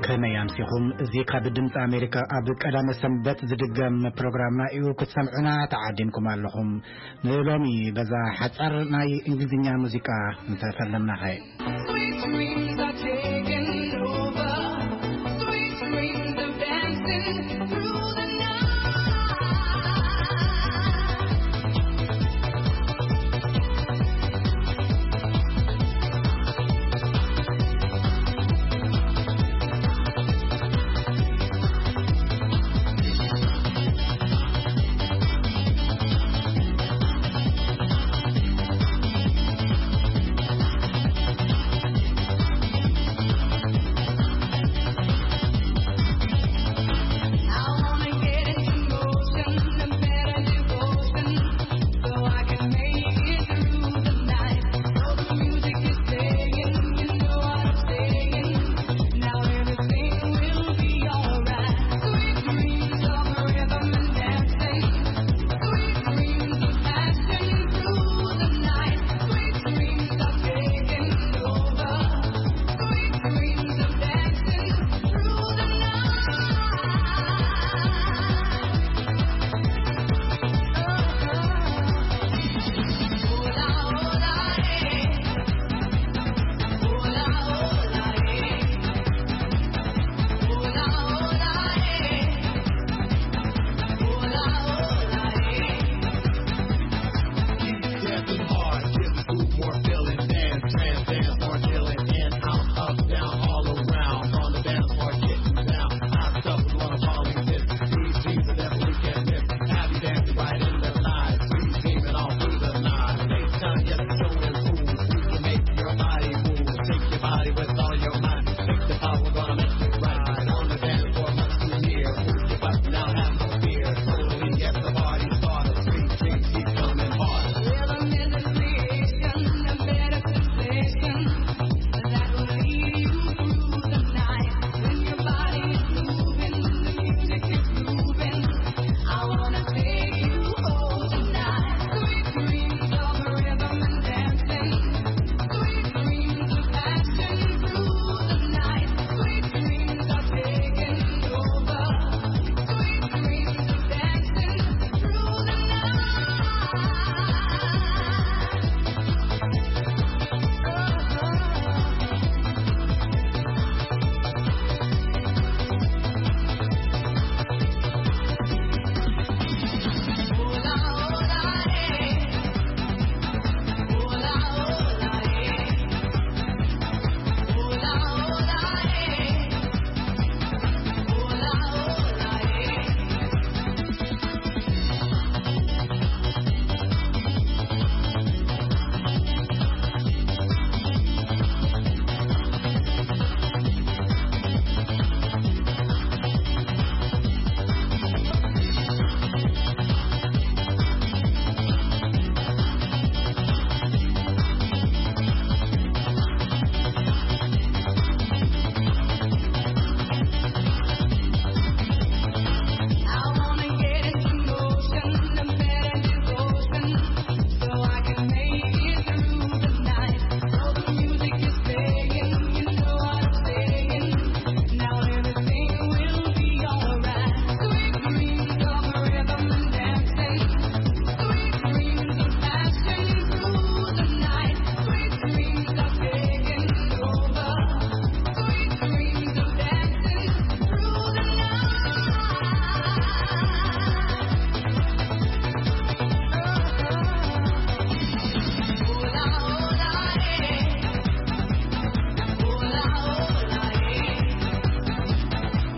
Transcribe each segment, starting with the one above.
ከመይ ኣምሲኹም? እዚ ካብ ድምፂ ኣሜሪካ ኣብ ቀዳመ ሰንበት ዝድገም ፕሮግራምና እዩ። ክትሰምዑና ተዓዲምኩም ኣለኹም። ንሎሚ በዛ ሓፃር ናይ እንግሊዝኛ ሙዚቃ እንተፈለምናኸ? Sweet dreams are taking over. Sweet dreams of dancing through the night.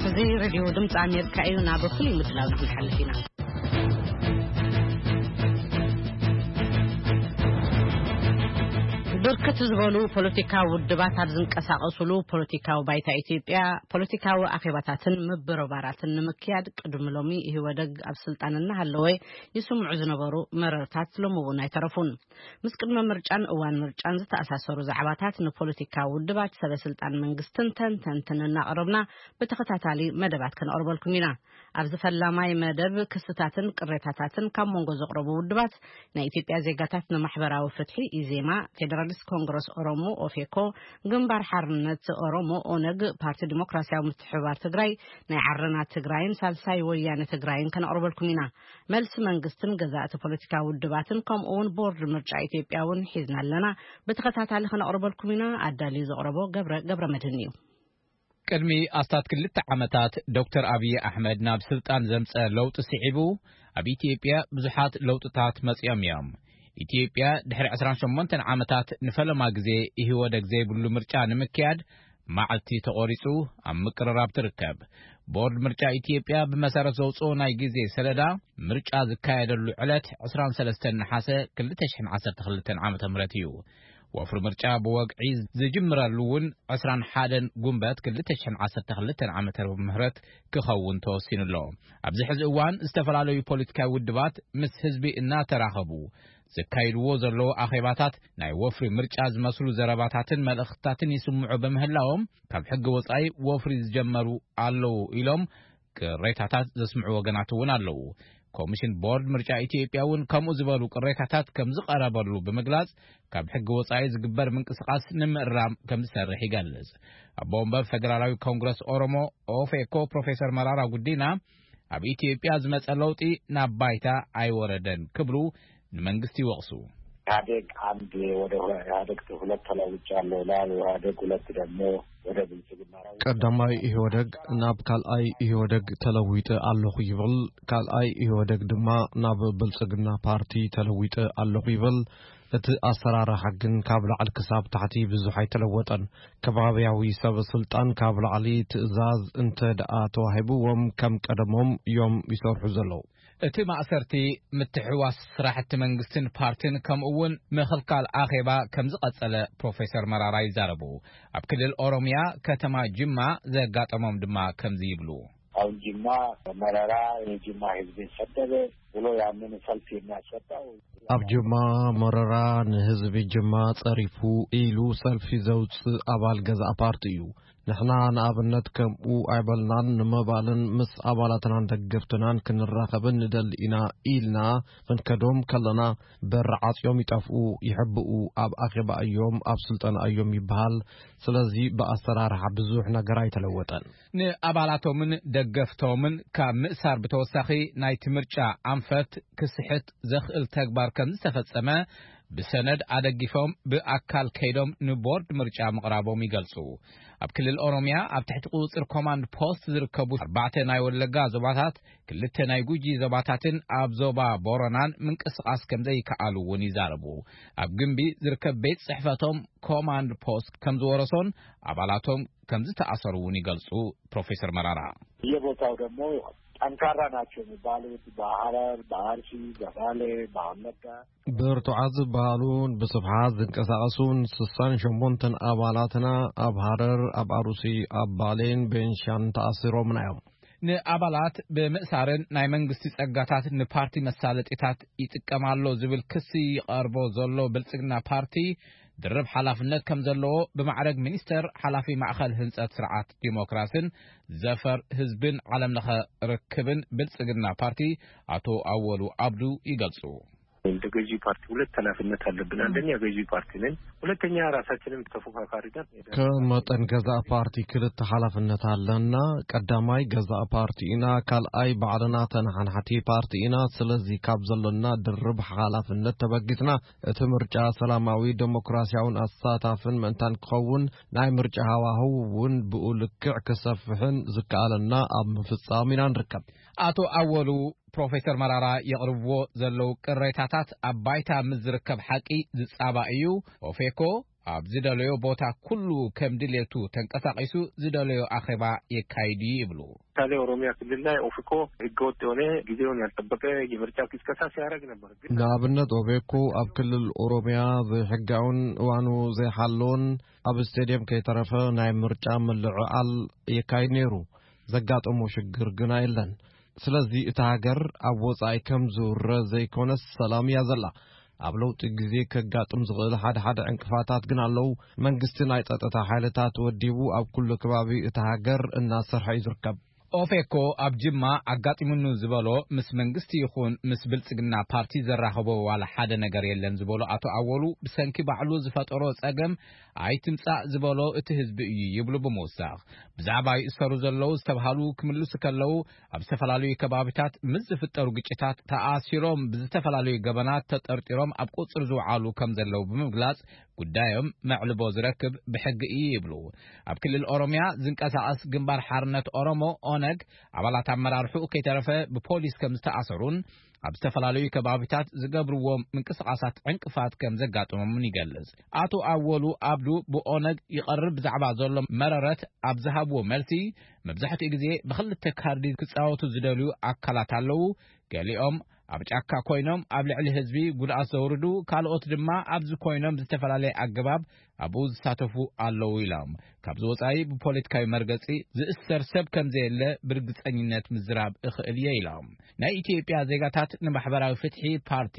እዚ ሬድዮ ድምፂ ኣሜሪካ እዩ። ናብ ፍሉይ ምድላው ንክንሓልፍ ኢና። ብርክት ዝበሉ ፖለቲካዊ ውድባት ኣብ ዝንቀሳቐሱሉ ፖለቲካዊ ባይታ ኢትዮጵያ፣ ፖለቲካዊ ኣኼባታትን ምብርባራትን ንምክያድ ቅድሚ ሎሚ ኢህወደግ ኣብ ስልጣን እናሃለወ ይስምዑ ዝነበሩ መረርታት ሎሚ እውን ኣይተረፉን። ምስ ቅድመ ምርጫን እዋን ምርጫን ዝተኣሳሰሩ ዛዕባታት ንፖለቲካዊ ውድባት፣ ሰበ ስልጣን መንግስትን ተንተንትን እናቕረብና ብተኸታታሊ መደባት ከነቕርበልኩም ኢና። ኣብዚ ፈላማይ መደብ ክስታትን ቅሬታታትን ካብ መንጎ ዘቕረቡ ውድባት፣ ናይ ኢትዮጵያ ዜጋታት ንማሕበራዊ ፍትሒ፣ ኢዜማ፣ ፌደራሊስት ኮንግረስ ኦሮሞ፣ ኦፌኮ፣ ግንባር ሓርነት ኦሮሞ፣ ኦነግ፣ ፓርቲ ዲሞክራሲያዊ ምትሕብባር ትግራይ፣ ናይ ዓረና ትግራይን ሳልሳይ ወያነ ትግራይን ከነቕርበልኩም ኢና። መልሲ መንግስትን ገዛእቲ ፖለቲካዊ ውድባትን፣ ከምኡ እውን ቦርድ ምርጫ ኢትዮጵያ እውን ሒዝና ኣለና። ብተኸታታሊ ከነቕርበልኩም ኢና። ኣዳልዩ ዘቕረቦ ገብረ፣ ገብረ መድህን እዩ። ቅድሚ ኣስታት ክልተ ዓመታት፣ ዶክተር ኣብይ ኣሕመድ ናብ ስልጣን ዘምጸ ለውጢ ስዒቡ፣ ኣብ ኢትዮጵያ ብዙሓት ለውጥታት መጺኦም እዮም። ኢትዮጵያ ድሕሪ ዕስራን ሸሞንተን ዓመታት ንፈለማ ግዜ ኢህወደግ ዘይብሉ ምርጫ ንምክያድ መዓልቲ ተቖሪጹ ኣብ ምቅርራብ ትርከብ። ቦርድ ምርጫ ኢትዮጵያ ብመሰረት ዘውጽኦ ናይ ግዜ ሰለዳ፣ ምርጫ ዝካየደሉ ዕለት ዕስራን ሰለስተን ነሓሰ ክልተ ሽሕን ዓሰርተ ክልተን ዓመተ ምህረት እዩ። ወፍሪ ምርጫ ብወግዒ ዝጅምረሉ እውን ዕስራን ሓደን ጉንበት ክልተ ሽሕን ዓሰርተ ክልተን ዓመተ ምህረት ክኸውን ተወሲኑ ኣሎ። ኣብዚ ሕዚ እዋን ዝተፈላለዩ ፖለቲካዊ ውድባት ምስ ህዝቢ እናተራኸቡ ዘካይድዎ ዘለዉ ኣኼባታት፣ ናይ ወፍሪ ምርጫ ዝመስሉ ዘረባታትን መልእኽትታትን ይስምዑ ብምህላዎም፣ ካብ ሕጊ ወጻኢ ወፍሪ ዝጀመሩ ኣለዉ ኢሎም ቅሬታታት ዘስምዑ ወገናት እውን ኣለዉ። ኮሚሽን ቦርድ ምርጫ ኢትዮጵያ እውን ከምኡ ዝበሉ ቅሬታታት ከም ዝቐረበሉ ብምግላጽ፣ ካብ ሕጊ ወጻኢ ዝግበር ምንቅስቓስ ንምእራም ከም ዝሰርሕ ይገልጽ። ኣቦ ወንበር ፌደራላዊ ኮንግረስ ኦሮሞ፣ ኦፌኮ፣ ፕሮፌሰር መራራ ጉዲና፣ ኣብ ኢትዮጵያ ዝመጸ ለውጢ ናብ ባይታ ኣይወረደን ክብሉ ንመንግስቲ ይወቕሱ። ኢህአዴግ አንድ ወደ ኢህአዴግ ሁለት ተለውጫለሁ ይላል። ኢህአዴግ ሁለት ደግሞ ወደ ብልጽግና ነው። ቀዳማይ ኢህወደግ ናብ ካልኣይ ኢህወደግ ተለዊጠ ኣለኹ ይብል፣ ካልኣይ ኢህወደግ ድማ ናብ ብልጽግና ፓርቲ ተለዊጠ ኣለኹ ይብል። እቲ ኣሰራርሓ ግን ካብ ላዕሊ ክሳብ ታሕቲ ብዙሕ ኣይተለወጠን። ከባብያዊ ሰብ ስልጣን ካብ ላዕሊ ትእዛዝ እንተ ደኣ ተዋሂብዎም ከም ቀደሞም እዮም ይሰርሑ ዘለዉ። እቲ ማእሰርቲ፣ ምትሕውዋስ ስራሕቲ መንግስትን ፓርትን፣ ከምኡ እውን ምኽልካል ኣኼባ ከም ዝቐጸለ ፕሮፌሰር መራራ ይዛረቡ። ኣብ ክልል ኦሮሚያ ከተማ ጅማ ዘጋጠሞም ድማ ከምዚ ይብሉ። አሁን ጅማ መረራ የጅማ ህዝብን ሰደበ ብሎ ያንን ሰልፍ የሚያስወጣው ኣብ ጅማ መረራ ንህዝቢ ጅማ ጸሪፉ ኢሉ ሰልፊ ዘውጽእ ኣባል ገዛእ ፓርቲ እዩ። ንሕና ንኣብነት ከምኡ ኣይበልናን፣ ንምባልን ምስ ኣባላትናን ደገፍትናን ክንራኸብን ንደሊ ኢና ኢልና ክንከዶም ከለና፣ በር ዓጽዮም ይጠፍኡ፣ ይሕብኡ፣ ኣብ ኣኼባ እዮም፣ ኣብ ስልጠና እዮም ይበሃል። ስለዚ ብኣሰራርሓ ብዙሕ ነገር ኣይተለወጠን። ንኣባላቶምን ደገፍቶምን ካብ ምእሳር ብተወሳኺ፣ ናይቲ ምርጫ ኣንፈት ክስሕት ዘኽእል ተግባር ከም ዝተፈጸመ ብሰነድ ኣደጊፎም ብኣካል ከይዶም ንቦርድ ምርጫ ምቕራቦም ይገልጹ። ኣብ ክልል ኦሮሚያ ኣብ ትሕቲ ቁጽጽር ኮማንድ ፖስት ዝርከቡ ኣርባዕተ ናይ ወለጋ ዞባታት፣ ክልተ ናይ ጉጂ ዞባታትን ኣብ ዞባ ቦረናን ምንቅስቓስ ከም ዘይከኣሉ እውን ይዛረቡ። ኣብ ግንቢ ዝርከብ ቤት ጽሕፈቶም ኮማንድ ፖስት ከም ዝወረሶን ኣባላቶም ከም ዝተኣሰሩ እውን ይገልጹ ፕሮፌሰር መራራ። በየቦታው ደግሞ ጠንካራ ናቸው የሚባሉት በሐረር፣ በአርሲ፣ በባሌ፣ በወለጋ ብርቱዓት ዝበሃሉን ብስፍሓት ዝንቀሳቐሱን ስሳን ሸሞንተን ኣባላትና ኣብ ሃረር፣ ኣብ ኣሩሲ፣ ኣብ ባሌን ቤንሻን ተኣሲሮምና እዮም። ንኣባላት ብምእሳርን ናይ መንግስቲ ጸጋታት ንፓርቲ መሳለጢታት ይጥቀም ኣሎ ዝብል ክሲ ይቐርቦ ዘሎ ብልጽግና ፓርቲ፣ ድርብ ሓላፍነት ከም ዘለዎ ብማዕረግ ሚኒስተር ሓላፊ ማእከል ህንጸት ስርዓት ዲሞክራስን ዘፈር ህዝብን ዓለምለኸ ርክብን ብልጽግና ፓርቲ ኣቶ ኣወሉ ኣብዱ ይገልጹ። እንደ ገዢ ፓርቲ ሁለት ኃላፊነት አለብን። አንደኛ ገዢ ፓርቲ ነን፣ ሁለተኛ ራሳችንን ተፎካካሪ ነን። ከም መጠን ገዛእ ፓርቲ ክልተ ሓላፍነት ኣለና። ቀዳማይ ገዛእ ፓርቲ ኢና፣ ካልኣይ ባዕልና ተነሓናሕቲ ፓርቲ ኢና። ስለዚ ካብ ዘለና ድርብ ሓላፍነት ተበጊስና፣ እቲ ምርጫ ሰላማዊ፣ ዴሞክራሲያውን ኣሳታፍን ምእንታን ክኸውን፣ ናይ ምርጫ ሃዋህው እውን ብኡ ልክዕ ክሰፍሕን ዝከኣለና ኣብ ምፍጻም ኢና ንርከብ። ኣቶ ኣወሉ፣ ፕሮፌሰር መራራ የቕርብዎ ዘለዉ ቅሬታታት ኣብ ባይታ ምስ ዝርከብ ሓቂ ዝጻባእ እዩ። ኦፌኮ ኣብ ዝደለዮ ቦታ ኩሉ ከም ድሌቱ ተንቀሳቒሱ ዝደለዮ ኣኼባ የካይድ እዩ ይብሉ። ምሳሌ ኦሮሚያ ክልል ላይ ኦፌኮ ህገወጥ የሆነ ጊዜውን ያልጠበቀ የምርጫ ቅስቀሳ ሲያደርግ ነበር። ግን ንኣብነት ኦፌኮ ኣብ ክልል ኦሮሚያ ዘይሕጋውን እዋኑ ዘይሓለውን ኣብ ስቴድየም ከይተረፈ ናይ ምርጫ ምልዕዓል የካይድ ነይሩ። ዘጋጠሞ ሽግር ግና የለን። ስለዚ እታ ሃገር ኣብ ወጻኢ ከም ዝውረ ዘይኮነስ ሰላም እያ ዘላ። ኣብ ለውጢ ግዜ ከጋጥም ዝኽእል ሓደ ሓደ ዕንቅፋታት ግን ኣለዉ። መንግስቲ ናይ ጸጥታ ሓይልታት ወዲቡ ኣብ ኩሉ ከባቢ እታ ሃገር እናሰርሐ እዩ ዝርከብ። ኦፌኮ ኣብ ጅማ ኣጋጢሙኒ ዝበሎ ምስ መንግስቲ ይኹን ምስ ብልጽግና ፓርቲ ዘራኸቦ ዋላ ሓደ ነገር የለን ዝበሎ ኣቶ ኣወሉ፣ ብሰንኪ ባዕሉ ዝፈጠሮ ጸገም ኣይትምጻእ ዝበሎ እቲ ህዝቢ እዩ ይብሉ ብምውሳኽ፣ ብዛዕባ ይእሰሩ ዘለዉ ዝተብሃሉ ክምልሱ ከለዉ፣ ኣብ ዝተፈላለዩ ከባቢታት ምስ ዝፍጠሩ ግጭታት ተኣሲሮም ብዝተፈላለዩ ገበናት ተጠርጢሮም ኣብ ቁጽሪ ዝውዓሉ ከም ዘለዉ ብምግላጽ፣ ጉዳዮም መዕልቦ ዝረክብ ብሕጊ እዩ ይብሉ። ኣብ ክልል ኦሮምያ ዝንቀሳቐስ ግንባር ሓርነት ኦሮሞ፣ ኦነግ፣ ኣባላት ኣመራርሕኡ ከይተረፈ ብፖሊስ ከም ዝተኣሰሩን ኣብ ዝተፈላለዩ ከባቢታት ዝገብርዎም ምንቅስቓሳት ዕንቅፋት ከም ዘጋጥሞምን ይገልጽ። ኣቶ ኣወሉ ኣብዱ ብኦነግ ይቐርብ ብዛዕባ ዘሎ መረረት ኣብ ዝሃብዎ መልሲ፣ መብዛሕትኡ ግዜ ብኽልተ ካርዲ ክጻወቱ ዝደልዩ ኣካላት ኣለዉ። ገሊኦም ኣብ ጫካ ኮይኖም ኣብ ልዕሊ ህዝቢ ጉድኣት ዘውርዱ፣ ካልኦት ድማ ኣብዚ ኮይኖም ብዝተፈላለየ ኣገባብ ኣብኡ ዝሳተፉ ኣለዉ ኢሎም። ካብዚ ወጻኢ ብፖለቲካዊ መርገጺ ዝእሰር ሰብ ከም ዘየለ ብርግጸኝነት ምዝራብ እኽእል እየ ኢሎም። ናይ ኢትዮጵያ ዜጋታት ንማሕበራዊ ፍትሒ ፓርቲ፣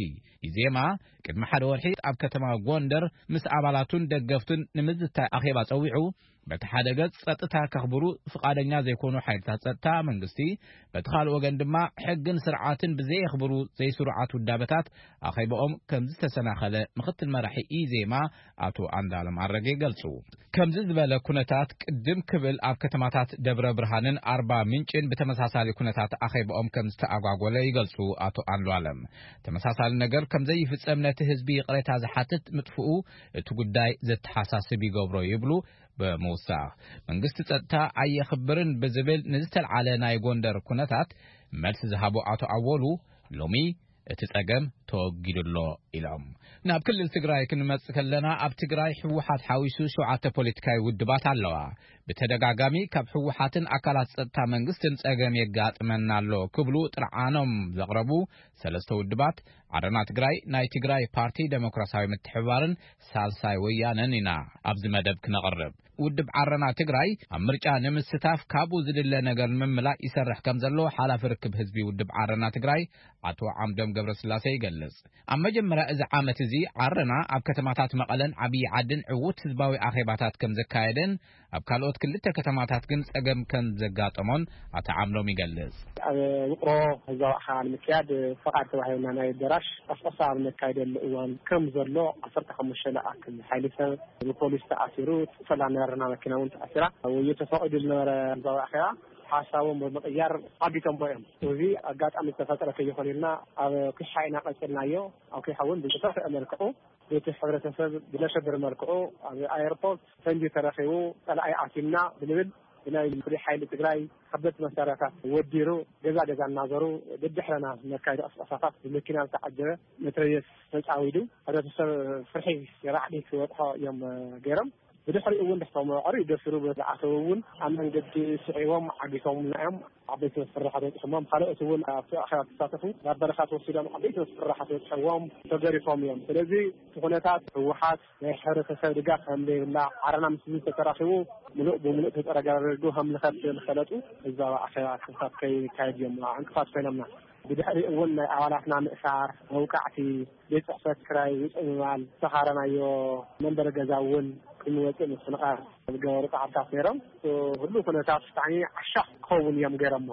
ኢዜማ፣ ቅድሚ ሓደ ወርሒ ኣብ ከተማ ጎንደር ምስ ኣባላቱን ደገፍቱን ንምዝታይ ኣኼባ ጸዊዑ፣ በቲ ሓደ ገጽ ጸጥታ ከኽብሩ ፍቓደኛ ዘይኮኑ ሓይልታት ጸጥታ መንግስቲ፣ በቲ ካልእ ወገን ድማ ሕግን ስርዓትን ብዘየኽብሩ ዘይስሩዓት ውዳበታት ኣኼባኦም ከም ዝተሰናኸለ ምኽትል መራሒ ኢዜማ ኣቶ ኣንዳለም ኣረገ ይገልጹ። ከምዚ ዝበለ ኩነታት ቅድም ክብል ኣብ ከተማታት ደብረ ብርሃንን ኣርባ ምንጭን ብተመሳሳሊ ኩነታት ኣኼባኦም ከም ዝተኣጓጎለ ይገልጹ ኣቶ ኣንዱኣለም። ተመሳሳሊ ነገር ከም ዘይፍጸም ነቲ ህዝቢ ይቕሬታ ዝሓትት ምጥፍኡ እቲ ጉዳይ ዘተሓሳስብ ይገብሮ ይብሉ። ብምውሳኽ መንግስቲ ጸጥታ ኣየኽብርን ብዝብል ንዝተልዓለ ናይ ጎንደር ኩነታት መልሲ ዝሃቡ ኣቶ ኣወሉ፣ ሎሚ እቲ ጸገም ተወጊዱ ኣሎ ኢሎም። ናብ ክልል ትግራይ ክንመጽእ ከለና፣ ኣብ ትግራይ ህወሓት ሓዊሱ ሸውዓተ ፖለቲካዊ ውድባት ኣለዋ። ብተደጋጋሚ ካብ ህወሓትን ኣካላት ጸጥታ መንግስትን ጸገም የጋጥመና ኣሎ ክብሉ ጥርዓኖም ዘቕረቡ ሰለስተ ውድባት፣ ዓረና ትግራይ፣ ናይ ትግራይ ፓርቲ ደሞክራሲያዊ ምትሕብባርን ሳልሳይ ወያነን ኢና ኣብዚ መደብ ክነቕርብ። ውድብ ዓረና ትግራይ ኣብ ምርጫ ንምስታፍ ካብኡ ዝድለ ነገር ንምምላእ ይሰርሕ ከም ዘሎ ሓላፊ ርክብ ህዝቢ ውድብ ዓረና ትግራይ ኣቶ ዓምዶም ገብረስላሴ ይገልጽ። ኣብ መጀመርያ እዚ ዓመት እዚ ዓረና ኣብ ከተማታት መቐለን ዓብዪ ዓድን ዕዉት ህዝባዊ ኣኼባታት ከም ዘካየደን ኣብ ካልኦት ክልተ ከተማታት ግን ጸገም ከም ዘጋጠሞን ኣቶ ዓምዶም ይገልጽ። ኣብ ውቕሮ ህዝባዊ ኣኼባ ንምክያድ ፈቓድ ተባሂቡና ናይ ኣዳራሽ ቀስቀሳ ኣብ ነካይደሉ እዋን ከም ዘሎ ዓሰርተ ሓሙሽተ ዝኣክል ሓይሊ ሰብ ብፖሊስ ተኣሲሩ፣ ሰላም ናይ ዓረና መኪና እውን ተኣሲራ። ወዮ ተፈቒዱ ዝነበረ ህዝባዊ ኣኼባ ሓሳቦም ብምቕያር ዓጊቶሞ እዮም። እዚ ኣጋጣሚ ዝተፈጠረ ከይኾነ ኢልና ኣብ ኩሽሓ ኢና ቀጺልናዮ። ኣብ ኩሓ እውን ብዝተፍአ መልክዑ ቤት ሕብረተሰብ ብዘሸብር መልክዑ ኣብ ኣየርፖርት ፈንጂ ተረኺቡ፣ ጸላኢ ኣቲምና ብንብል ብናይ ፍሉይ ሓይሊ ትግራይ ከበድቲ መሳርያታት ወዲሩ ገዛ ገዛ እናዞሩ ደድሕረና ነካይዶ ቅስቀሳታት ብመኪና ዝተዓጀበ መትረየስ ተጻዊዱ፣ ሕብረተሰብ ፍርሒ ራዕዲ ክበጽሖ እዮም ገይሮም። ብድሕሪኡ እውን ድሕቶም ቀሪኡ ገፊሩ ዝኣተዉ እውን ኣብ መንገዲ ስዒቦም ዓጊቶምና እዮም። ዓበይቲ መስፍርሓት በጺሖሞም። ካልኦት እውን ኣብቲ ኣኼባ ዝተሳተፉ ናብ በረኻ ተወሲዶም ዓበይቲ መስፍርሓት በጺሖዎም ተገሪፎም እዮም። ስለዚ እቲ ኩነታት ህወሓት ናይ ሕብረተሰብ ድጋፍ ከም ዘይብላ፣ ዓረና ምስ ህዝቢ ተተራኺቡ ምሉእ ብምሉእ ተጠረጋሪዱ ከም ዝኸፍል ዝፈለጡ ህዝባዊ ኣኼባ ክፍታት ከይካየድ እዮም ዕንቅፋት ኮይኖምና። ብድሕሪኡ እውን ናይ ኣባላትና ምእሳር፣ መውቃዕቲ፣ ቤት ጽሕፈት ክራይ ውጽእ ምባል፣ ዝተኻረናዮ መንበሪ ገዛ እውን ክንወጽእ ምፍንቓር ዝገበሩ ጻዕርታት ነይሮም። እቲ ኩሉ ኩነታት ብጣዕሚ ዓሻኽ ክኸውን እዮም ገይሮሞ።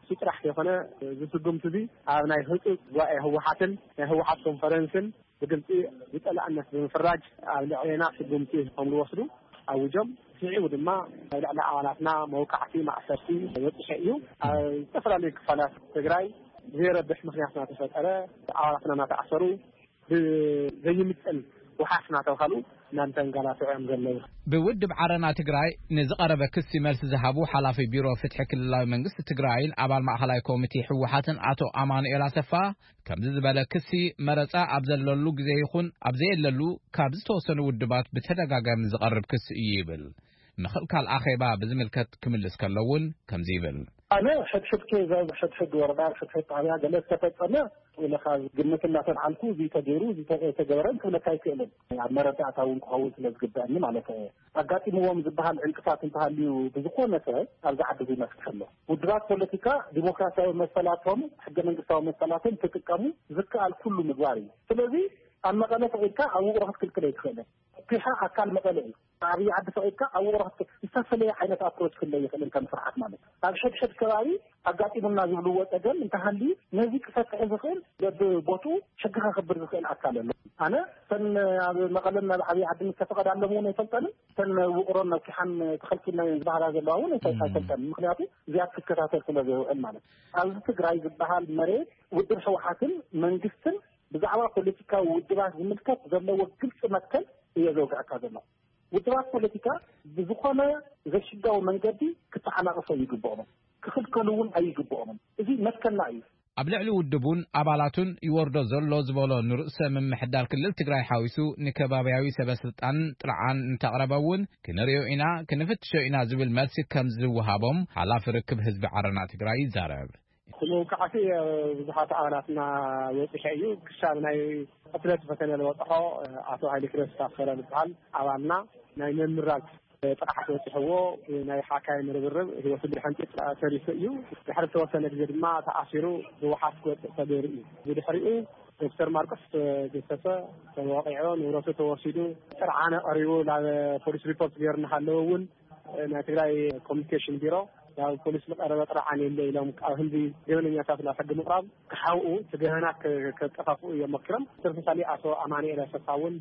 እሱ ጥራሕ ዘይኮነ፣ እዚ ስጉምቲ እዚ ኣብ ናይ ህጹጽ ጉባኤ ህወሓትን ናይ ህወሓት ኮንፈረንስን ብግልጺ ብጸላእነት ብምፍራጅ ኣብ ልዕሌና ስጉምቲ ከም ዝወስዱ ኣውጆም። ስዒቡ ድማ ኣብ ልዕሊ ኣባላትና መውቃዕቲ፣ ማእሰርቲ በጺሑ እዩ። ኣብ ዝተፈላለዩ ክፋላት ትግራይ ብዘይረብሕ ምኽንያት እናተፈጠረ ኣባላትና እናተኣሰሩ፣ ብዘይምጥን ወሓስ እናተባሃሉ እናተንገላትዑ እዮም ዘለዉ። ብውድብ ዓረና ትግራይ ንዝቐረበ ክሲ መልሲ ዝሃቡ ሓላፊ ቢሮ ፍትሒ ክልላዊ መንግስቲ ትግራይን ኣባል ማእኸላይ ኮሚቴ ህወሓትን ኣቶ ኣማኑኤል ኣሰፋ፣ ከምዚ ዝበለ ክሲ መረጻ ኣብ ዘለሉ ግዜ ይኹን ኣብ ዘየለሉ ካብ ዝተወሰኑ ውድባት ብተደጋጋሚ ዝቐርብ ክሲ እዩ ይብል። ምኽልካል ኣኼባ ብዝምልከት ክምልስ ከሎ እውን ከምዚ ይብል። ኣነ ሕድሕድ ኬዝ ኣብ ሕድሕድ ወረዳ፣ ኣብ ሕድሕድ ጣብያ ገለ ዝተፈጸመ ኢለ ካብ ግምት እናተልዓልኩ፣ እዚ ተገይሩ፣ እዚ ተ-፣ ተገበረን ክብለካ ኣይክእልን። ኣብ መረዳእታ እውን ክኸውን ስለ ዝግበአኒ ማለት እየ። ኣጋጢምዎም ዝበሃል ዕንቅፋት እንተሃልዩ ብዝኾነ ሰብ ኣብዚ ዓዲ እዚ መፍትሒ ኣሎ። ውድባት ፖለቲካ ዲሞክራሲያዊ መሰላቶም፣ ሕገ መንግስታዊ መሰላቶም ክጥቀሙ ዝከኣል ኩሉ ምግባር እዩ። ስለዚ ኣብ መቐለ ፈቒድካ ኣብ ውቕሮ ክትክልክል ኣይትኽእልን። ፒሓ ኣካል መቐለ እዩ። ኣብይ ዓዲ ፈቒድካ ኣብ ውቕሮ ክትክል-፣ ዝተፈለየ ዓይነት ኣፕሮች ክለ ይኽእልን ከም ስርዓት ማለት እዩ። ኣብ ሕድሕድ ከባቢ ኣጋጢሙና ዝብልዎ ጸገም እንተሃልዩ ነዚ ክፈትሕ ዝኽእል በብቦትኡ ሕጊ ከኽብር ዝኽእል ኣካል ኣሎ። ኣነ እተን ኣብ መቐለን ናብ ዓብዪ ዓዲ ዝተፈቐዳሎም እውን ኣይፈልጠንን። እተን ውቕሮን ነኪሓን ተኸልኪልና እየን ዝበሃላ ዘለዋ እውን ኣይፈ- ኣይፈልጠንን። ምክንያቱ እዚኣ ክትከታተል ስለ ዘይውዕል ማለት እዩ። ኣብዚ ትግራይ ዝበሃል መሬት ውድብ ህወሓትን መንግስትን ብዛዕባ ፖለቲካዊ ውድባት ዝምልከት ዘለዎ ግልፂ መትከል እየ ዘውግዐካ ዘለኹ። ውድባት ፖለቲካ ብዝኾነ ዘይሕጋዊ መንገዲ ክተዓናቕፎ ይግብኦምን ክኽልከሉ እውን ኣይግብኦምን። እዚ መትከልና እዩ። ኣብ ልዕሊ ውድቡን ኣባላቱን ይወርዶ ዘሎ ዝበሎ ንርእሰ ምምሕዳር ክልል ትግራይ ሓዊሱ ንከባብያዊ ሰበ ስልጣን ጥርዓን እንተቕረበ እውን ክንርእዮ ኢና፣ ክንፍትሾ ኢና ዝብል መልሲ ከም ዝወሃቦም ሓላፊ ርክብ ህዝቢ ዓረና ትግራይ ይዛረብ። እቲ መውቃዕቲ ብዙሓት ኣባላትና በፂሐ እዩ። ክሳብ ናይ ቅትለት ፈተነ ዝበፅሖ ኣቶ ሃይለ ክረስታፈረ ዝበሃል ኣባልና ናይ ምምራዝ ጥቕዓት በፂሕዎ ናይ ሓካይም ርብርብ ህይወቱ ብድሕንጢ ተሪፉ እዩ። ድሕሪ ዝተወሰነ ግዜ ድማ ተኣሲሩ ብዋሓስ ክወፅእ ተገይሩ እዩ። ብድሕሪኡ ዶክተር ማርቆስ ተገሰሰ፣ ተወቂዑ፣ ንብረቱ ተወሲዱ፣ ጥርዓነ ቀሪቡ ናብ ፖሊስ ሪፖርት ገይሩ እናሃለወ እውን ናይ ትግራይ ኮሚኒኬሽን ቢሮ ናብ ፖሊስ ዝቀረበ ጥርዓን የለ ኢሎም ኣብ ህንዲ ገበነኛታት ናብ ሕጊ ምቕራብ ክሓውኡ እቲ ገበናት ከ- ከጠፋፍኡ እዮም ሞኪሮም። ተመሳሳሊ ኣቶ ኣማኑኤል ኣሰፋ እውን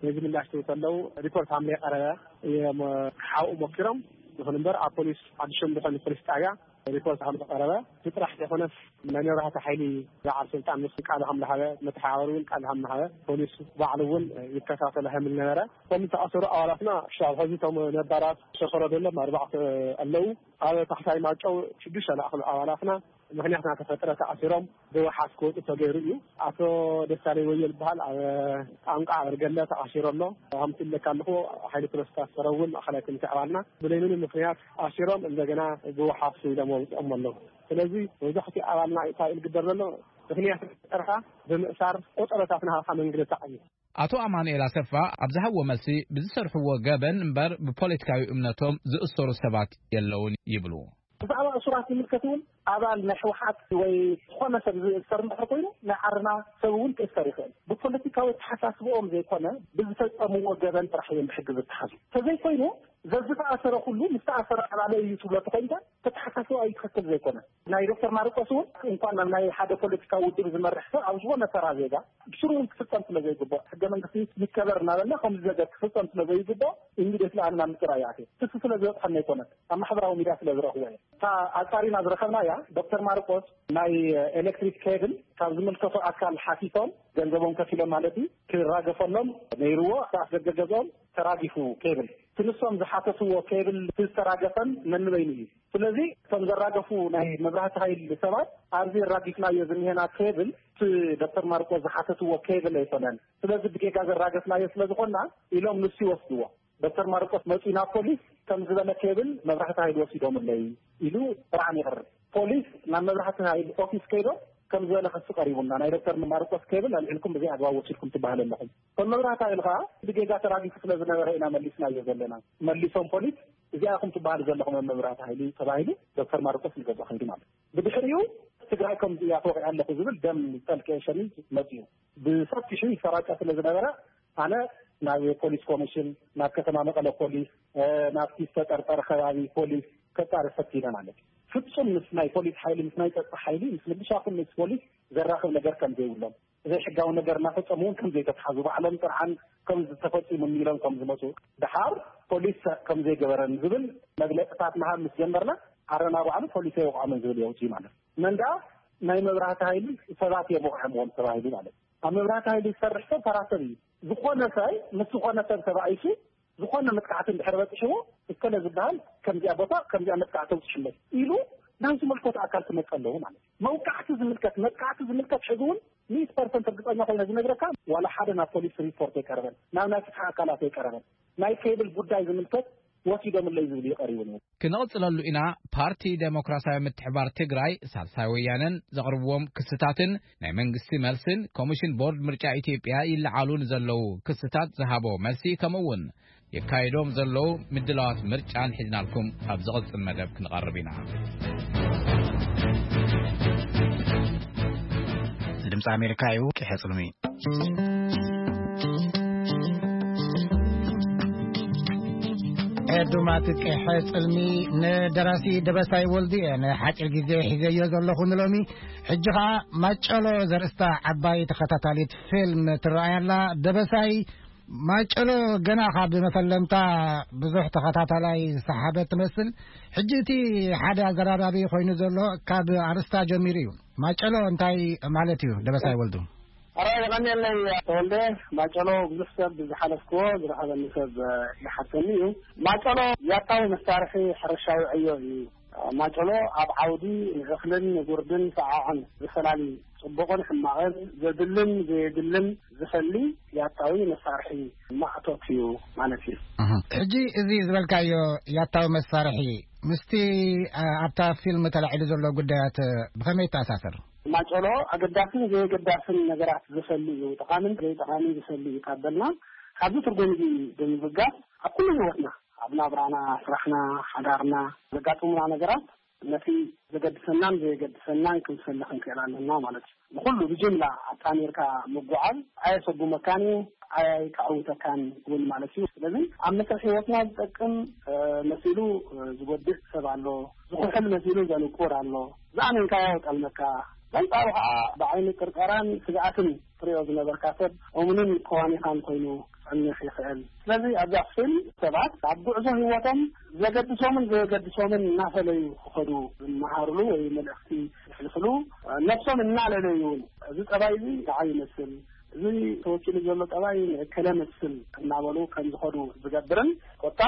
ነዚ ምላሽ ትህቡ ከለዉ ሪፖርት ሃምለ የቀረበ እዮም ክሓውኡ ሞኪሮም። ይኹን እምበር ኣብ ፖሊስ ሓድሽም ዝኾነ ፖሊስ ጣብያ ሪፖርት ከም ዝቀረበ እቲ ጥራሕ ዘይኮነስ ናይ መብራህቲ ሓይሊ በዓል ስልጣን ምስ ቃል ከም ዝሃበ መተሓባበሪ እውን ቃል ከም ዝሃበ ፖሊስ ባዕሉ እውን ይከታተሎ ከም ዝነበረ እቶም ዝተኣሰሩ ኣባላትና ክሳብ ሕዚ እቶም ነባራት ዝተፈረደሎም ኣርባዕተ ኣለዉ። ኣብ ታሕታይ ማይጨው ሽዱሽተ ዝኣኽሉ ኣባላትና ምኽንያት እናተፈጠረ ተኣሲሮም ብወሓስ ክወፁ ተገይሩ እዩ። ኣቶ ደሳለይ ወዮ ዝበሃል ኣብ ጣንቋ ኣበርገለ ተኣሲሩ ኣሎ። ከምቲ ኢለካ ኣለኹ ሓይሊ ፕሮስታት ሰረ እውን ማእኸላይ ኮሚቴ ኣባልና ብለይ ምንም ምኽንያት ኣሲሮም እንደገና ብወሓስ ኢሎም ኣውፅኦም ኣለዉ። ስለዚ መብዛሕትኡ ኣባልና እንታይ እዩ ዝግበር ዘሎ? ምኽንያት ጥርካ ብምእሳር ቆፀሮታት ናሃኻ መንግልታዕ እዩ። ኣቶ ኣማኑኤል ኣሰፋ ኣብ ዝሃብዎ መልሲ ብዝሰርሕዎ ገበን እምበር ብፖለቲካዊ እምነቶም ዝእሰሩ ሰባት የለውን ይብሉ። ብዛዕባ እሱራት ዝምልከት እውን ኣባል ናይ ህወሓት ወይ ዝኾነ ሰብ ዝእሰር እንድሕር ኮይኑ ናይ ዓርና ሰብ እውን ክእሰር ይኽእል። ብፖለቲካዊ ተሓሳስብኦም ዘይኮነ ብዝፈፀምዎ ገበን ጥራሕ እዮም ብሕጊ ዝተሓዙ። ተዘይኮይኑ ዘዝተኣሰረ ኩሉ ምስ ተኣሰረ ኣባለ እዩ ትብሎ ተኮይንካ ተተሓሳስባ እዩ ትኽክል ዘይኮነ። ናይ ዶክተር ማርቆስ እውን እንኳን ናብ ናይ ሓደ ፖለቲካዊ ውድብ ዝመርሕ ሰብ ኣብ ዝኾነ ተራ ዜጋ ብስሩ እውን ክፍፀም ስለ ዘይግባእ ሕገ መንግስቲ ይከበር እናበልና ከምዚ ነገር ክፍፀም ስለ ዘይግባእ ኢሚዲየትሊ ኣነ ናብ ምፅራይ ይኣትየ። ክሲ ስለ ዝበፅሐና ኣይኮነን ኣብ ማሕበራዊ ሚድያ ስለ ዝረኽቦ እየ። እታ ኣፃሪና ዝረኸብናያ ዶክተር ማርቆስ ናይ ኤሌክትሪክ ኬብል ካብ ዝምልከቶ ኣካል ሓቲቶም ገንዘቦም ከፊሎም ማለት እዩ ክራገፈሎም ነይርዎ ኣፍደገ ገዝኦም ተራጊፉ ኬብል ትንሶም ዝሓተትዎ ኬብል ዝተራገፈን ነንበይኑ እዩ። ስለዚ እቶም ዘራገፉ ናይ መብራህቲ ሃይል ሰባት ኣብዚ ራጊፍናዮ ዝኒሄና ኬብል እቲ ዶክተር ማርቆስ ዝሓተትዎ ኬብል ኣይኮነን። ስለዚ ብጌጋ ዘራገፍናዮ ስለዝኾና ኢሎም ንሱ ይወስድዎ። ዶክተር ማርቆስ መፂኡ ናብ ፖሊስ ከም ዝበለ ኬብል መብራህቲ ሃይል ወሲዶምለይ ኢሉ ጥርዓን ይቕርብ። ፖሊስ ናብ መብራህቲ ሃይል ኦፊስ ከይዶም ከም ዝበለ ክሲ ቀሪቡና ናይ ዶክተር ማርቆስ ኬብል ኣልዒልኩም ብዘይ ኣግባብ ወሲድኩም ትበሃል ኣለኹም። እቶም መብራህቲ ሃይል ከዓ ብጌጋ ተራጊፉ ስለ ዝነበረ ኢና መሊስናዮ ዘለና። መሊሶም ፖሊስ እዚኣ ኢኹም ትበሃሉ ዘለኹም ኣብ መብራህቲ ሃይል ተባሂሉ ዶክተር ማርቆስ ንገዝኦ ከይዱ ማለት እዩ። ብድሕሪኡ ትግራይ ከምዚ እያ ተወቂዐ ኣለኹ ዝብል ደም ጠልቀ ሸሚዝ መፂኡ ብሰፊሑ ይሰራጨ ስለ ዝነበረ ኣነ ናብ ፖሊስ ኮሚሽን ናብ ከተማ መቐለ ፖሊስ ናብቲ ዝተጠርጠረ ከባቢ ፖሊስ ከፃሪ ፈቲነ ማለት እዩ። ፍፁም ምስ ናይ ፖሊስ ሓይሊ ምስ ናይ ፀጥታ ሓይሊ ምስ ምልሻ ኩን ምስ ፖሊስ ዘራኽብ ነገር ከም ዘይብሎም ዘይሕጋዊ ነገር እናፈፀሙ እውን ከም ዘይተትሓዙ ባዕሎም ጥርዓን ከም ዝተፈፂሙ ኢሎም ከም ዝመፁ ደሓር ፖሊስ ከም ዘይገበረን ዝብል መግለፅታት ምሃብ ምስ ጀመርና ዓረና ባዕሉ ፖሊስ ኣይወቕዖምን ዝብል የውፅዩ ማለት እዩ። መንዳ ናይ መብራህቲ ሃይሊ ሰባት እዮም ወቕዖምዎም ተባሂሉ ማለት እዩ። ኣብ መብራህቲ ሃይሊ ዝሰርሕ ሰብ ተራ ሰብ እዩ። ዝኾነ ሰብ ምስ ዝኾነ ሰብ ተባኢሱ ዝኾነ መጥቃዕቲ እንድሕር በፂሕዎ እከለ ዝበሃል ከምዚኣ ቦታ ከምዚኣ መጥቃዕቲ ተውፅሕለት ኢሉ ናብ ዝመልከቱ ኣካል ክመፀ ኣለዎ ማለት እዩ። መውቃዕቲ ዝምልከት መጥቃዕቲ ዝምልከት ሕዚ እውን ሚእቲ ፐርሰንት እርግፀኛ ኮይነ ዝነግረካ ዋላ ሓደ ናብ ፖሊስ ሪፖርት ኣይቀረበን ናብ ናይ ፍትሒ ኣካላት ኣይቀረበን። ናይ ኬብል ጉዳይ ዝምልከት ወሲዶምለይ ዝብል እዩ ቀሪቡ ነይሩ። ክንቕፅለሉ ኢና። ፓርቲ ዴሞክራሲያዊ ምትሕባር ትግራይ ሳልሳይ ወያነን ዘቕርብዎም ክስታትን ናይ መንግስቲ መልስን ኮሚሽን ቦርድ ምርጫ ኢትዮጵያ ይለዓሉ ንዘለዉ ክስታት ዝሃቦ መልሲ ከምኡ እውን የካይዶም ዘለዉ ምድላዋት ምርጫን ሒዝናልኩም ኣብ ዝቕፅል መደብ ክንቐርብ ኢና። ድምፂ ኣሜሪካ እዩ። ቂሐ ፅልሚ ዱማት ቀሐ ጽልሚ ንደራሲ ደበሳይ ወልዱ እየ ንሓጺር ግዜ ሒዘዮ ዘለኹ ንሎሚ። ሕጂ ኸዓ ማጨሎ ዘርእስታ ዓባይ ተኸታታሊት ፊልም ትረኣይ ኣላ። ደበሳይ፣ ማጨሎ ገና ካብ መፈለምታ ብዙሕ ተኸታታላይ ዝሰሓበት ትመስል። ሕጂ እቲ ሓደ ኣዘራራቢ ኮይኑ ዘሎ ካብ ኣርእስታ ጀሚሩ እዩ። ማጨሎ እንታይ ማለት እዩ ደበሳይ ወልዱ? ኣራ የቐንየለይ ተወልደ። ማጨሎ ብዙሕ ሰብ ብዝሓለፍክዎ ዝረኸበኒ ሰብ ይሓተኒ እዩ። ማጨሎ ያታዊ መሳርሒ ሕርሻዊ ዕዮ እዩ። ማጨሎ ኣብ ዓውዲ ንእኽልን ንጉርድን ሰዓዕን ዝፈላሊ ጽቡቕን ሕማቕን ዘድልን ዘየድልን ዝፈሊ ያታዊ መሳርሒ ማእቶት እዩ ማለት እዩ። ሕጂ እዚ ዝበልካዮ ያታዊ መሳርሒ ምስቲ ኣብታ ፊልም ተላዒሉ ዘሎ ጉዳያት ብኸመይ ይተኣሳሰር? ማጨሎ ኣገዳስን ዘየገዳስን ነገራት ዝፈሊ እዩ። ጠቓምን ዘይጠቓምን ዝፈሊ እዩ ካብ በልና፣ ካብዚ ትርጉም እዚ ብምብጋስ ኣብ ኩሉ ህይወትና፣ ኣብ ናብራና፣ ስራሕና፣ ሓዳርና ዘጋጥሙና ነገራት ነቲ ዘገድሰናን ዘየገድሰናን ክንፈሊ ክንክእል ኣለና ማለት እዩ። ንኹሉ ብጅምላ ኣጣሚርካ ምጉዓዝ ኣየሰጉመካን እዩ፣ ኣየከዕውተካን እውን ማለት እዩ። ስለዚ ኣብ መስርሕ ህይወትና ዝጠቅም መሲሉ ዝጎድእ ሰብ ኣሎ፣ ዝኹሕል መሲሉ ዘንቁር ኣሎ። ዝኣመንካዮ ጠልመካ፣ በንጻሩ ከዓ ብዓይኒ ጥርጠራን ስግኣትን ትሪኦ ዝነበርካ ሰብ እሙንን ከዋኒኻን ኮይኑ ክጸንሕ ይኽእል። ስለዚ ኣብዛ ፊልም ሰባት ኣብ ጉዕዞ ህይወቶም ዘገድሶምን ዘየገድሶምን እናፈለዩ ክኸዱ ዝመሃርሉ ወይ መልእኽቲ ዘሕልፍሉ፣ ነብሶም እናለለዩ እውን እዚ ጠባይ እዚ ንዓይ ይመስል፣ እዚ ተወኪሉ ዘሎ ጠባይ ንእከለ መስል እናበሉ ከም ዝኸዱ ዝገብርን ኮታ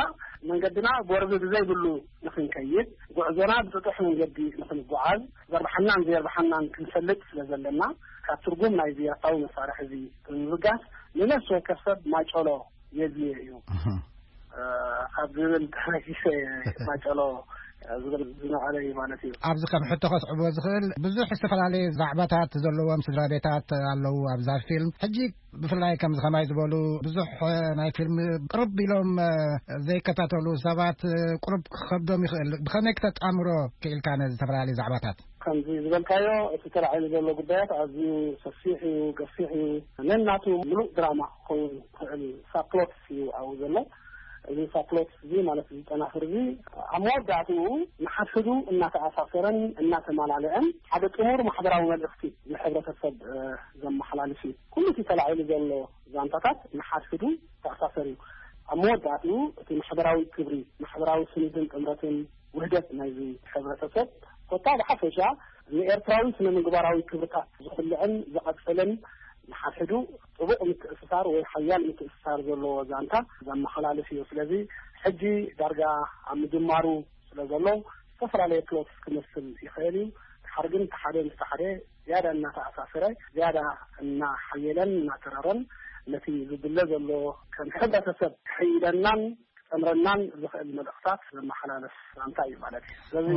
መንገድና ጎርቢ ብዘይብሉ ንኽንከይድ፣ ጉዕዞና ብጥጡሕ መንገዲ ንኽንጓዓዝ ዘርብሓናን ዘየርብሓናን ክንፈልጥ ስለ ዘለና፣ ካብ ትርጉም ናይዚ ያታዊ መሳርሒ እዚ ብምብጋስ ንነፍሲ ወከፍ ሰብ ማጨሎ የድልዮ እዩ ካብ ዝብል ተበጊሰ ማጨሎ ዝብል ዝነቐለ እዩ ማለት እዩ። ኣብዚ ከም ሕቶ ከስዕቦ ዝኽእል ብዙሕ ዝተፈላለየ ዛዕባታት ዘለዎም ስድራ ቤታት ኣለዉ ኣብዛ ፊልም። ሕጂ ብፍላይ ከምዚ ከማይ ዝበሉ ብዙሕ ናይ ፊልም ቅርብ ኢሎም ዘይከታተሉ ሰባት ቅሩብ ክኸብዶም ይኽእል። ብኸመይ ክተጣምሮ ክኢልካ ነዚ ዝተፈላለዩ ዛዕባታት? ከምዚ ዝበልካዮ እቲ ተላዒሉ ዘሎ ጉዳያት ኣዝዩ ሰፊሕ እዩ፣ ገፊሕ እዩ። ነናቱ ምሉእ ድራማ ክኸውን ዝኽእል ሳፕሎትስ እዩ ኣብኡ ዘሎ። እዚ ሳፕሎትስ እዚ ማለት እዚ ጨናፍር እዚ ኣብ መወዳእትኡ ንሓድሕዱ እናተኣሳሰረን እናተማላለአን ሓደ ጥሙር ማሕበራዊ መልእኽቲ ንሕብረተሰብ ዘመሓላልፍ እዩ። ኩሉ እቲ ተላዒሉ ዘሎ ዛንታታት ንሓድሕዱ ተኣሳሰር እዩ። ኣብ መወዳእትኡ እቲ ማሕበራዊ ክብሪ፣ ማሕበራዊ ስኒትን ጥምረትን ውህደት ናይዚ ሕብረተሰብ ኮታ ብሓፈሻ ንኤርትራዊ ስነ ምግባራዊ ክብርታት ዝኹልዕን ዝቐጽልን ንሓድሕዱ ጥቡቕ ምትእስሳር ወይ ሓያል ምትእስሳር ዘለዎ ዛንታ ዘመሓላልፍ እዩ። ስለዚ ሕጂ ዳርጋ ኣብ ምጅማሩ ስለ ዘሎ ዝተፈላለየ ፕሎትስ ክመስል ይኽእል እዩ። ድሓር ግን እቲ ሓደ ምስቲ ሓደ ዝያዳ እናተኣሳሰረ ዝያዳ እናሓየለን እናተረረን ነቲ ዝድለ ዘሎ ከም ሕብረተሰብ ክሕይለናን ክጠምረናን ዝኽእል መልእኽታት ዘመሓላለፍ ዛንታ እዩ ማለት እዩ። ስለዚ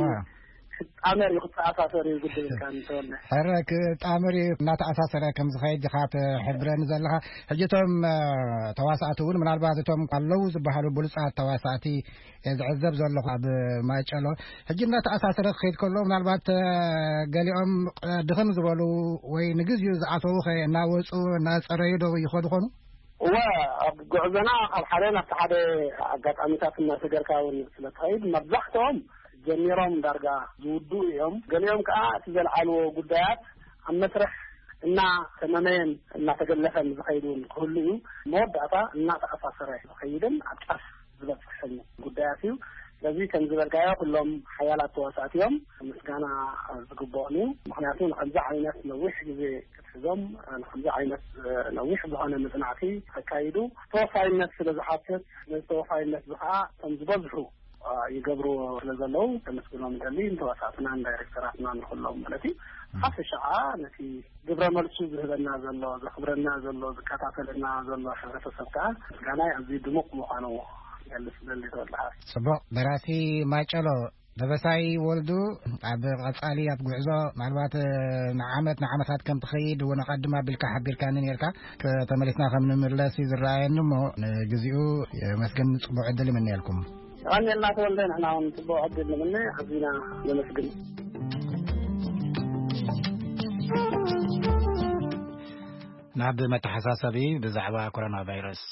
ክጣመር እዩ ክተኣሳሰር እዩ ግድል ኢልካ እንተወለ ሕረ ክጣመር እዩ እናተኣሳሰረ ከም ዝኸይድ ኢኻ ትሕብረኒ ዘለኻ። ሕጂ እቶም ተዋሳእቲ እውን ምናልባት እቶም ኣለዉ ዝበሃሉ ብሉፃት ተዋሳእቲ ዝዕዘብ ዘለኹ ኣብ ማጨሎ ሕጂ እናተኣሳሰረ ክኸይድ ከሎ ምናልባት ገሊኦም ድኽም ዝበሉ ወይ ንግዚኡ ዝኣተዉ ኸ እናወፁ እናፀረዩ ዶ ይኸዱ ኾኑ? እወ፣ ኣብ ጉዕዞና ካብ ሓደ ናብቲ ሓደ ኣጋጣሚታት እናሰገርካ እውን ስለ ትኸይድ መብዛሕትኦም ጀሚሮም ዳርጋ ዝውድኡ እዮም። ገሊኦም ከዓ እቲ ዘልዓልዎ ጉዳያት ኣብ መስርሕ እናተመመየን እናተገለፈን ዝኸይድ እውን ክህሉ እዩ። መወዳእታ እናተኣሳሰረ ዝኸይድን ኣብ ጫፍ ዝበፅሕን ጉዳያት እዩ። ስለዚ ከም ዝበልካዮ ኩሎም ሓያላት ተዋሳእቲ እዮም፣ ምስጋና ዝግብኦም እዩ። ምክንያቱ ንከምዚ ዓይነት ነዊሕ ግዜ ክትሕዞም ንከምዚ ዓይነት ነዊሕ ዝኾነ መፅናዕቲ ከካይዱ ተወፋይነት ስለ ዝሓትት ነዚ ተወፋይነት እዚ ከዓ ከም ዝበዝሑ ይገብርዎ ስለ ዘለዉ ከመስግኖም ይደሊ። ንተዋሳእትናን ዳይሬክተራትናን ንኩሎም ማለት እዩ። ሓፈሻ ከዓ ነቲ ግብረ መልሱ ዝህበና ዘሎ ዘኽብረና ዘሎ ዝከታተለና ዘሎ ሕብረተሰብ ከዓ ምስጋናይ ኣዝዩ ድሙቕ ምዃኑ ይገልጽ ደሊ ተወልደሃ። ጽቡቕ ደራሲ ማጨሎ ደበሳይ ወልዱ ኣብ ቀጻሊ ኣብ ጉዕዞ ምናልባት ንዓመት ንዓመታት ከም ትኸይድ እውን ኣቐድም ኣቢልካ ሓቢርካኒ ነርካ። ተመሊስና ከም ንምለስ እዩ ዝረኣየኒ እሞ ንግዚኡ የመስግን ጽቡቕ ዕድል ይምነየልኩም። የቐንየልና ተወልደ፣ ንሕና እውን ጽቡቕ ዕድል ንምነ፣ ኣዚና ነመስግን። ናብ መተሓሳሰቢ ብዛዕባ ኮሮና ቫይረስ።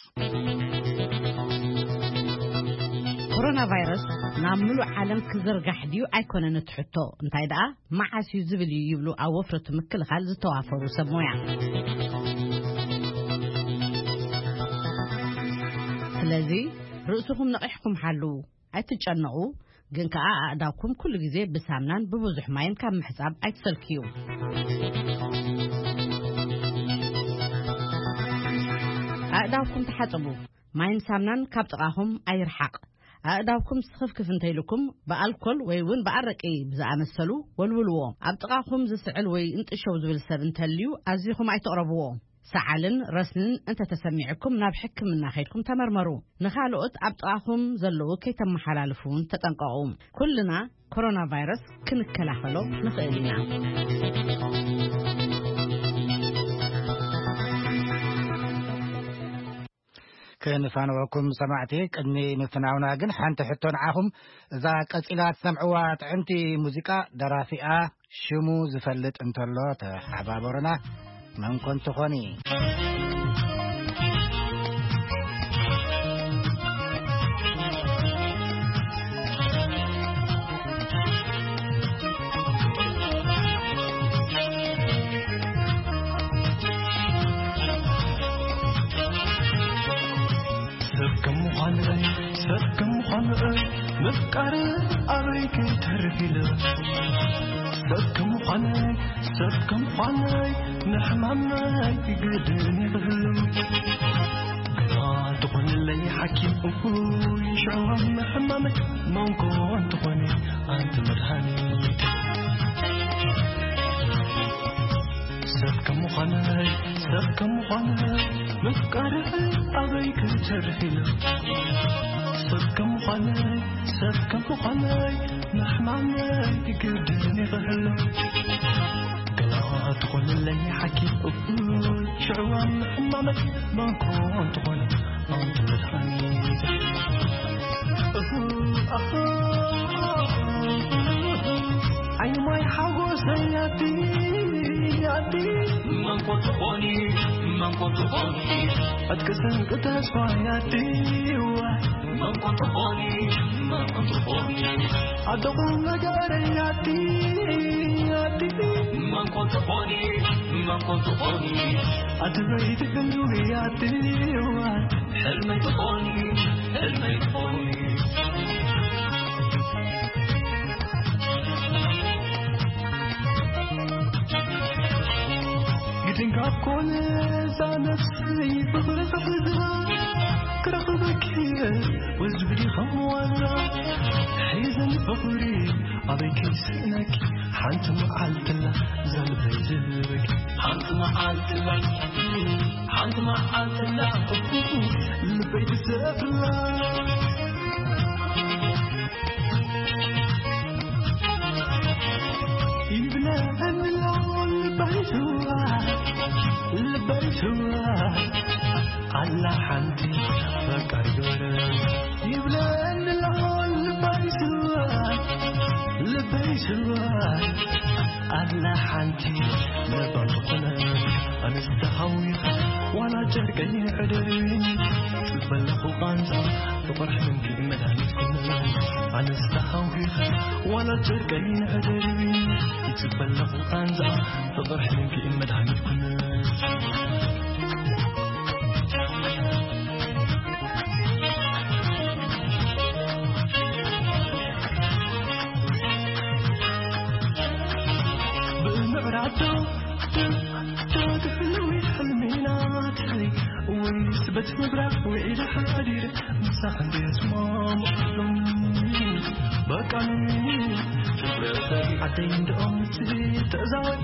ኮሮና ቫይረስ ናብ ምሉእ ዓለም ክዝርጋሕ ድዩ ኣይኮነን እቲ ሕቶ፣ እንታይ ደኣ መዓስ እዩ ዝብል እዩ ይብሉ ኣብ ወፍረቱ ምክልኻል ዝተዋፈሩ ሰብ ሞያ። ስለዚ ርእስኹም ነቒሕኩም ሓልዉ፣ ኣይትጨነቑ፣ ግን ከኣ ኣእዳውኩም ኩሉ ግዜ ብሳምናን ብብዙሕ ማይን ካብ ምሕጻብ ኣይትሰልክዩ። ኣእዳውኩም ተሓጸቡ። ማይን ሳምናን ካብ ጥቓኹም ኣይርሓቕ። ኣእዳውኩም ስኽፍክፍ እንተይልኩም ብኣልኮል ወይ እውን ብኣረቂ ብዝኣመሰሉ ወልውልዎ። ኣብ ጥቓኹም ዝስዕል ወይ እንጥሸው ዝብል ሰብ እንተልዩ ኣዚኹም ኣይትቕረብዎ። ሰዓልን ረስንን እንተተሰሚዕኩም ናብ ሕክምና ከይድኩም ተመርመሩ። ንኻልኦት ኣብ ጥቓኹም ዘለዉ ከይተመሓላልፉ እውን ተጠንቀቑ። ኩልና ኮሮና ቫይረስ ክንከላኸሎ ንኽእል ኢና። ከንፋንወኩም ሰማዕቲ፣ ቅድሚ ምፍናውና ግን ሓንቲ ሕቶ ንዓኹም። እዛ ቀጺላ ትሰምዕዋ ጥዕምቲ ሙዚቃ ደራፊኣ ሽሙ ዝፈልጥ እንተሎ ተሓባበሩና። መን ኮን ትኾኒ? ሰብ ከም ምዃነይ፣ ሰብ ከም ምዃነይ፣ ምፍቃር ኣበይ ክተርፍ ኢለ። ሰብ ከም ምዃነይ፣ ሰብ ከም ምዃነይ፣ ንሕማመይ ግድን ይብህል። ግና ትኾንለይ ሓኪም እኩይ ሽዕዋም ሕማመይ፣ መንኮ እንትኾነ ኣንቲ መድሃኒት። ሰብ ከም ምዃነይ፣ ሰብ ከም ምዃነይ፣ ምፍቃር ኣበይ ክሰርሕ ኢለ። ሰብ ከም ምዃነይ፣ ሰብ ከም ምዃነይ፣ ምሕማመይ ግድን ይኽህሎ። ገና ትኾንለይ ሓኪም እኩል ሽዕዋም ሕማመይ፣ መንኮ እንትኾነ ኣንቲ መድሃኒት። እሁ፣ ኣሁ፣ ዓይኒ ማይ ሓጎሰይ ኣቲ፣ ኣቲ። መን ኮን ትኾኒ፣ መን ኮን ትኾኒ። ዕጥቂ ስንቂ ተስፋይ ኣቲ፣ ዋይ። መን ኮን ትኾኒ፣ መን ኮን ትኾኒ። ኣደኹም ነገረይ ኣቲ፣ ኣቲ። መን ኮን ትኾኒ፣ መን ኮን ትኾኒ። ኣቲ በይቲ ክንዱይ ኣቲ፣ ዋይ። ሕልመይ ትኾኒ፣ ሕልመይ ትኾኒ። ግድን ካብ ኮነ እዛ ነፍሰይ ፍቕሪ ክሕዛ ክረኽበኪ ወዝብዲ ከም ዋዛ ሒዘን ፍቕሪ ኣበይ ከይስእነኪ ሓንቲ መዓልትላ ዘልበይ ዝህበኪ ሓንቲ መዓልትላ ሓንቲ መዓልትላ ልበይ ትሰፍላ ይብለኒ ኣሎ ልበይ ትዋ ልበይ ትዋ ኣላ ሓንቲ ፈቃር ዶረ ይብለኒ ኣሎ ልበይ ትዋ ልበይ ትዋ ኣላ ሓንቲ ለባም ዝኾነ ኣነስ ተሃዊኸ ዋላ ጨርቀይ ሕደሪ ጽበለኹ ቃንዛ ፍቕርሕ ምንኪ መድሃኒት ኩነ ኣነስ ተሃዊኸ ዋላ ጨርቀይ ሕደሪ ጽበለኹ ቃንዛ ፍቕርሕ ምንኪ መድሃኒት ኩነ ብእምዕራዶ ትሕልዊ ሕልሚናተይ ወይስ በቲ ምብራቕ ውዒለ ሓዲረ ምሳሕ እንድየ ስማምዕሎም በቃኒ ዓደይ እንድኦም ንስሊ ተእዛወይ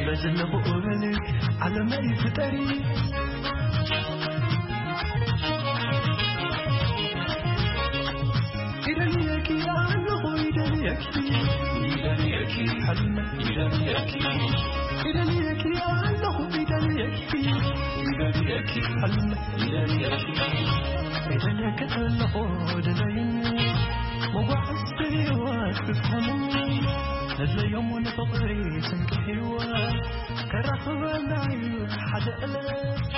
በዝለኹ እበሊ ዓለመይ ፍጠሪ ይደልየኪ ኣለኹ ይደልየኪ ይደልየኪ ሕልመ ይደልየኪ ይደልየኪ ኣለኹ ይደልየኪ ይደልየኪ ሕልመ ይደልየኪ ይደልየኪ ኣለኹ ደለይኒ መጓዕዝቲ ህይወት ክትኮንኒ ነድለዮም ንፍቕሪ ስንቂ ህይወት ከራኽበና እዩ ሓደ ዕለት